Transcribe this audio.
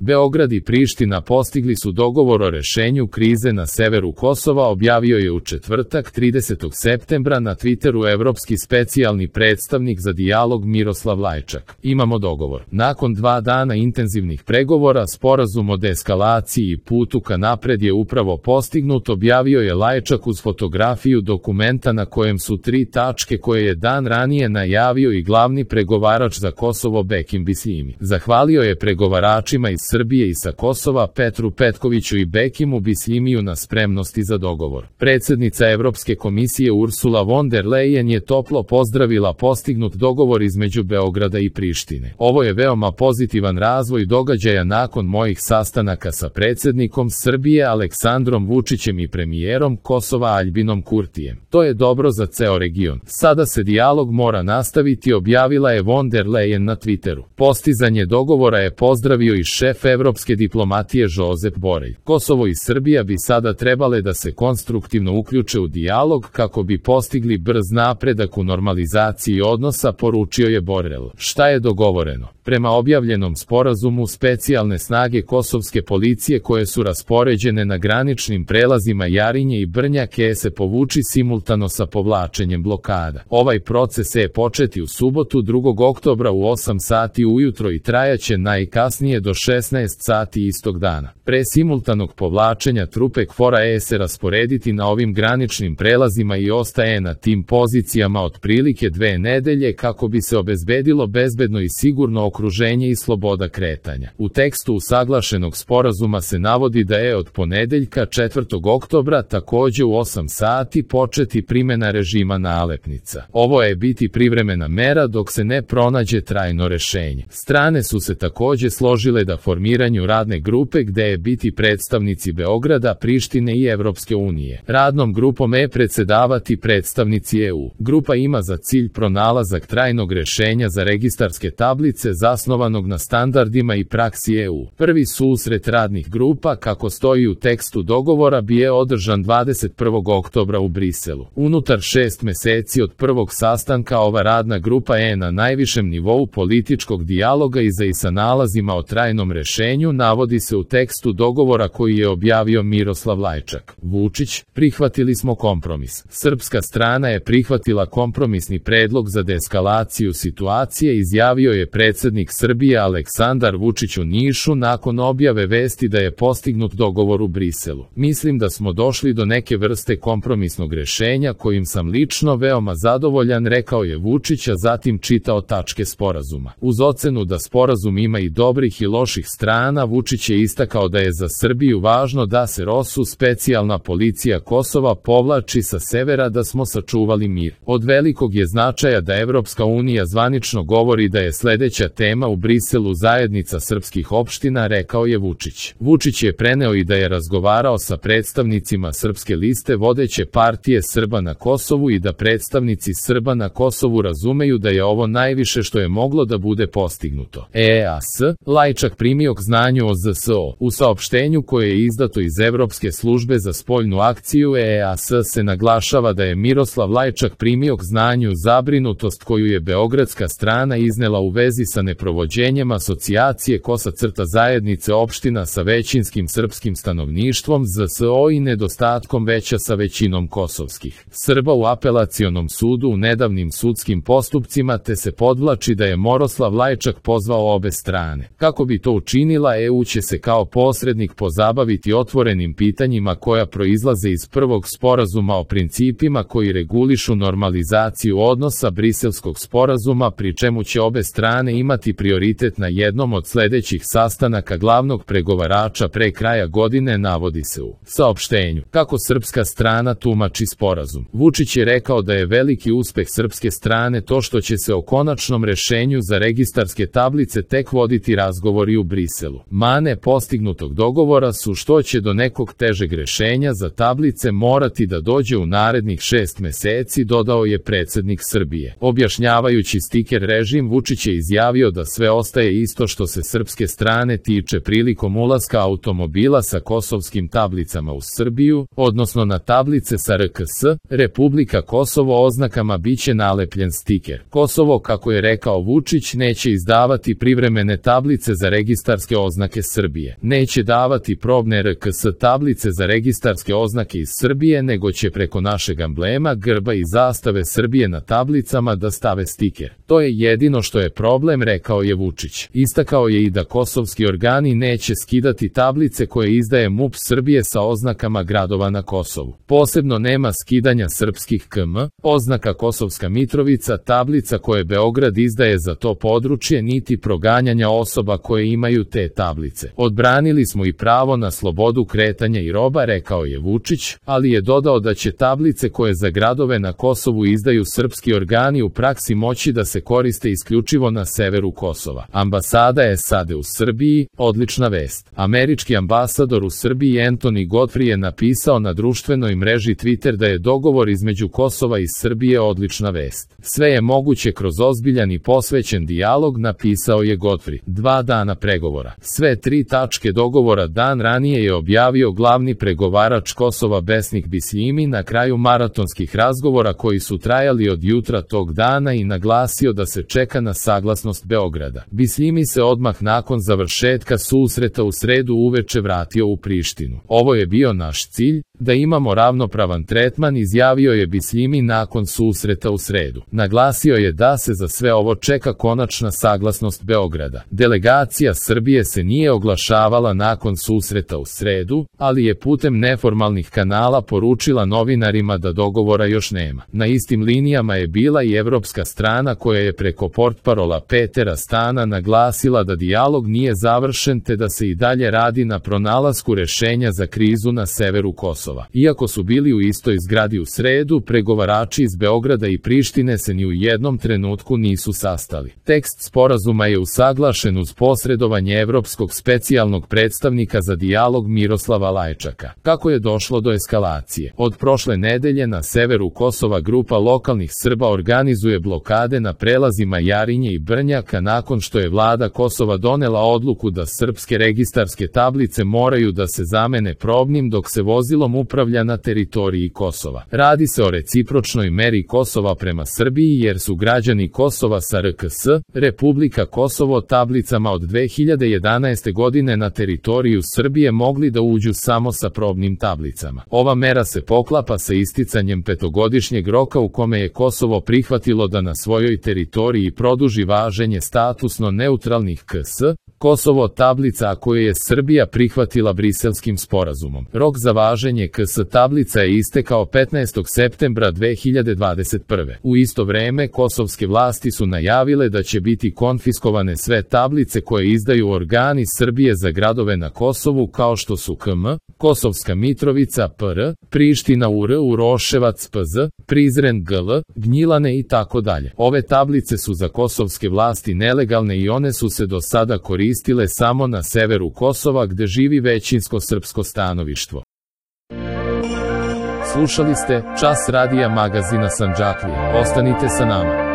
Beograd i Priština postigli su dogovor o rešenju krize na severu Kosova, objavio je u četvrtak 30. septembra na Twitteru evropski specijalni predstavnik za dijalog Miroslav Lajčak. Imamo dogovor. Nakon 2 dana intenzivnih pregovora, sporazum o deeskalaciji i putu ka napred je upravo postignut, objavio je Lajčak uz fotografiju dokumenta na kojem su 3 tačke koje je dan ranije najavio i glavni pregovarač za Kosovo Bekim Bisljimi. Zahvalio je pregovaračima iz Srbije i sa Kosova Petru Petkoviću i Bekimu Bisljimiju na spremnosti za dogovor. Predsjednica Evropske komisije Ursula von der Leyen je toplo pozdravila postignut dogovor između Beograda i Prištine. Ovo je veoma pozitivan razvoj događaja nakon mojih sastanaka sa predsjednikom Srbije Aleksandrom Vučićem i premijerom Kosova Aljbinom Kurtijem. To je dobro za ceo region. Sada se dijalog mora nastaviti, objavila je von der Leyen na Twitteru. Postizanje dogovora je pozdravio i šef evropske diplomatije Josep Borrell. Kosovo i Srbija bi sada trebale da se konstruktivno uključe u dijalog kako bi postigli brz napredak u normalizaciji odnosa, poručio je Borrell. Šta je dogovoreno? Prema objavljenom sporazumu, specijalne snage kosovske policije koje su raspoređene na graničnim prelazima Jarinje i Brnjake se povuči simultano sa povlačenjem blokada. Ovaj proces je početi u subotu 2. oktobra u 8 sati ujutro i trajaće najkasnije do 16 sati istog dana. Pre simultanog povlačenja trupe KFOR-a se rasporediti na ovim graničnim prelazima i ostaje na tim pozicijama otprilike 2 nedelje kako bi se obezbedilo bezbedno i sigurno okruženje i sloboda kretanja. U tekstu usaglašenog sporazuma se navodi da je od ponedeljka 4. oktobra takođe u 8 sati početi primjena režima nalepnica. Ovo je biti privremena mera dok se ne pronađe trajno rešenje. Strane su se takođe složile da formiranju radne grupe gde je biti predstavnici Beograda, Prištine i Evropske unije. Radnom grupom predsedavati predstavnici EU. Grupa ima za cilj pronalazak trajnog rešenja za registarske tablice zasnovanog na standardima i praksi EU. Prvi susret radnih grupa, kako stoji u tekstu dogovora, bi je održan 21. oktobra u Briselu. Unutar 6 meseci od prvog sastanka ova radna grupa je na najvišem nivou političkog dijaloga i sa nalazima o trajnom rešenju, navodi se u tekstu dogovora koji je objavio Miroslav Lajčak. Vučić, prihvatili smo kompromis. Srpska strana je prihvatila kompromisni predlog za deeskalaciju situacije, izjavio je predsjednik Srbije Aleksandar Vučić u Nišu nakon objave vesti da je postignut dogovor u Briselu. Mislim da smo došli do neke vrste kompromisnog rešenja kojim sam lično veoma zadovoljan, rekao je Vučić, a zatim čitao tačke sporazuma. Uz ocenu da sporazum ima i dobrih i loših strana, Vučić je istakao da je za Srbiju važno da se ROSU, specijalna policija Kosova, povlači sa severa, da smo sačuvali mir. Od velikog je značaja da Evropska unija zvanično govori da je sledeća tema u Briselu zajednica srpskih opština, rekao je Vučić. Vučić je preneo i da je razgovarao sa predstavnicima Srpske liste, vodeće partije Srba na Kosovu, i da predstavnici Srba na Kosovu razumeju da je ovo najviše što je moglo da bude postignuto. Lajčak primio k znanju o ZSO. U saopštenju koje je izdato iz Evropske službe za spoljnu akciju EEAS se naglašava da je Miroslav Lajčak primio k znanju zabrinutost koju je beogradska strana iznela u vezi sa neprovođenjem asocijacije zajednice opština sa većinskim srpskim stanovništvom ZSO i nedostatkom veća sa većinom kosovskih Srba u apelacionom sudu u nedavnim sudskim postupcima, te se podvlači da je Miroslav Lajčak pozvao obe strane. Kako bi to učinila, EU će se kao posrednik pozabaviti otvorenim pitanjima koja proizlaze iz prvog sporazuma o principima koji regulišu normalizaciju odnosa Briselskog sporazuma, pri čemu će obe strane imati prioritet na jednom od sledećih sastanaka glavnog pregovarača pre kraja godine, navodi se u saopštenju. Kako srpska strana tumači sporazum? Vučić je rekao da je veliki uspeh srpske strane to što će se o konačnom rešenju za registarske tablice tek voditi razgovori u Briselu. Mane postignutog dogovora su što će do nekog težeg rešenja za tablice morati da dođe u narednih 6 meseci, dodao je predsjednik Srbije. Objašnjavajući stiker režim, Vučić je izjavio da sve ostaje isto što se srpske strane tiče prilikom ulaska automobila sa kosovskim tablicama u Srbiju, odnosno na tablice sa RKS, Republika Kosovo oznakama biće nalepljen stiker. Kosovo, kako je rekao Vučić, neće izdavati privremene tablice za registar registarske oznake Srbije. Neće davati probne RKS tablice za registarske oznake iz Srbije, nego će preko našeg amblema, grba i zastave Srbije na tablicama da stave stiker. To je jedino što je problem, rekao je Vučić. Istakao je i da kosovski organi neće skidati tablice koje izdaje MUP Srbije sa oznakama gradova na Kosovu. Posebno nema skidanja srpskih KM, oznaka Kosovska Mitrovica, tablica koje Beograd izdaje za to područje, niti proganjanja osoba koje imaju te tablice. Odbranili smo i pravo na slobodu kretanja i roba, rekao je Vučić, ali je dodao da će tablice koje za gradove na Kosovu izdaju srpski organi u praksi moći da se koriste isključivo na severu Kosova. Ambasada SAD u Srbiji, odlična vest. Američki ambasador u Srbiji Anthony Godfrey je napisao na društvenoj mreži Twitter da je dogovor između Kosova i Srbije odlična vest. Sve je moguće kroz ozbiljan i posvećen dijalog, napisao je Godfrey. 2 dana pregovora. Sve 3 tačke dogovora dan ranije je objavio glavni pregovarač Kosova Besnik Bisljimi na kraju maratonskih razgovora koji su trajali od jutra tog dana i naglasio da se čeka na saglasnost Beograda. Bisljimi se odmah nakon završetka susreta u sredu uveče vratio u Prištinu. Ovo je bio naš cilj, da imamo ravnopravan tretman, izjavio je Bisljimi nakon susreta u sredu. Naglasio je da se za sve ovo čeka konačna saglasnost Beograda. Delegacija Srbije se nije oglašavala nakon susreta u sredu, ali je putem neformalnih kanala poručila novinarima da dogovora još nema. Na istim linijama je bila i evropska strana koja je preko portparola Petera Stana naglasila da dijalog nije završen te da se i dalje radi na pronalasku rešenja za krizu na severu Kosova. Iako su bili u istoj zgradi u sredu, pregovarači iz Beograda i Prištine se ni u jednom trenutku nisu sastali. Tekst sporazuma je usaglašen uz posredovanje evropskog specijalnog predstavnika za dijalog Miroslava Lajčaka. Kako je došlo do eskalacije? Od prošle nedelje na severu Kosova grupa lokalnih Srba organizuje blokade na prelazima Jarinje i Brnjaka nakon što je vlada Kosova donela odluku da srpske registarske tablice moraju da se zamene probnim dok se vozilom upravlja na teritoriji Kosova. Radi se o recipročnoj meri Kosova prema Srbiji jer su građani Kosova sa RKS, Republika Kosovo, tablicama od 2011. godine na teritoriju Srbije mogli da uđu samo sa probnim tablicama. Ova mera se poklapa sa isticanjem 5-godišnjeg roka u kome je Kosovo prihvatilo da na svojoj teritoriji produži važenje statusno neutralnih KS, Kosovo tablica, a koju je Srbija prihvatila Briselskim sporazumom. Rok za važenje KS tablica je istekao 15. septembra 2021. U isto vreme kosovske vlasti su najavile da će biti konfiskovane sve tablice koje izdaju organi Srbije za gradove na Kosovu kao što su KM, Kosovska Mitrovica PR, Priština UR, Uroševac PZ, Prizren GL, Gnjilane i tako dalje. Ove tablice su za kosovske vlasti nelegalne i one su se do sada koristile samo na severu Kosova gde živi većinsko srpsko stanovništvo. Slušali ste Čas radija magazina Sandžaklije. Ostanite sa nama.